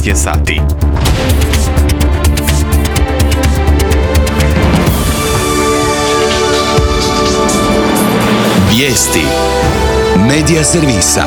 je sati. Vijesti Medija servisa.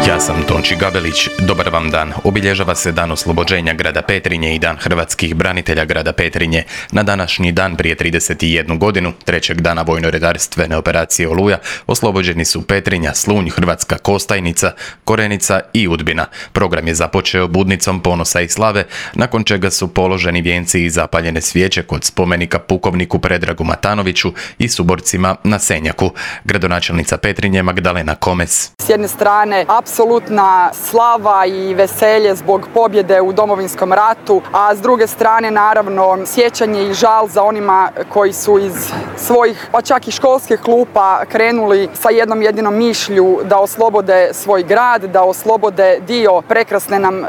Ja sam Tonči Gabelić, dobar vam dan. Obilježava se Dan oslobođenja grada Petrinje i Dan hrvatskih branitelja grada Petrinje. Na današnji dan prije 31 godinu, trećeg dana vojno-redarstvene operacije Oluja, oslobođeni su Petrinja, Slunj, Hrvatska Kostajnica, Korenica i Udbina. Program je započeo budnicom ponosa i slave, nakon čega su položeni vijenci i zapaljene svijeće kod spomenika pukovniku Predragu Matanoviću i suborcima na Senjaku. Gradonačelnica Petrinje Magdalena Komes. S jedne strane, apsolutna slava i veselje zbog pobjede u Domovinskom ratu, a s druge strane naravno sjećanje i žal za onima koji su iz svojih, pa čak i školskih klupa krenuli sa jednom jedinom mišlju da oslobode svoj grad, da oslobode dio prekrasne nam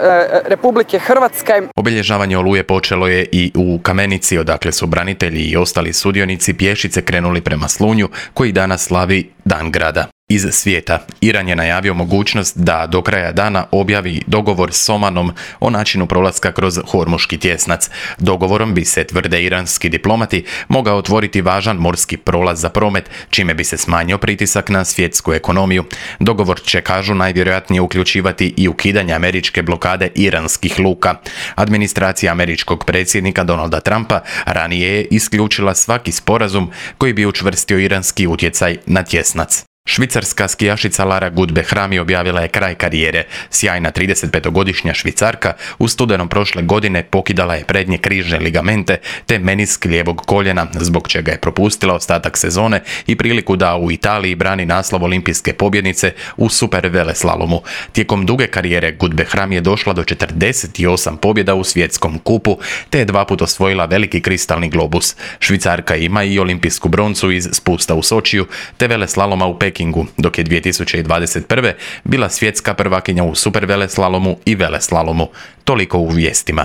Republike Hrvatske. Obilježavanje Oluje počelo je i u Kamenici, odakle su branitelji i ostali sudionici pješice krenuli prema Slunju, koji danas slavi Dan grada. Iz svijeta, Iran je najavio mogućnost da do kraja dana objavi dogovor s Omanom o načinu prolaska kroz Hormuški tjesnac. Dogovorom bi se, tvrde iranski diplomati, mogao otvoriti važan morski prolaz za promet, čime bi se smanjio pritisak na svjetsku ekonomiju. Dogovor će, kažu, najvjerojatnije uključivati i ukidanje američke blokade iranskih luka. Administracija američkog predsjednika Donalda Trumpa ranije je isključila svaki sporazum koji bi učvrstio iranski utjecaj na tjesnac. Švicarska skijašica Lara Gut-Behrami objavila je kraj karijere. Sjajna 35-godišnja Švicarka u studenom prošle godine pokidala je prednje križne ligamente te menisk lijevog koljena, zbog čega je propustila ostatak sezone i priliku da u Italiji brani naslov olimpijske pobjednice u super veleslalomu. Tijekom duge karijere Gut-Behrami je došla do 48 pobjeda u svjetskom kupu te je 2 puta osvojila veliki kristalni globus. Švicarka ima i olimpijsku broncu iz spusta u Sočiju te veleslaloma u Pekingu, dok je 2021. bila svjetska prvakinja u superveleslalomu i veleslalomu. Toliko u vijestima.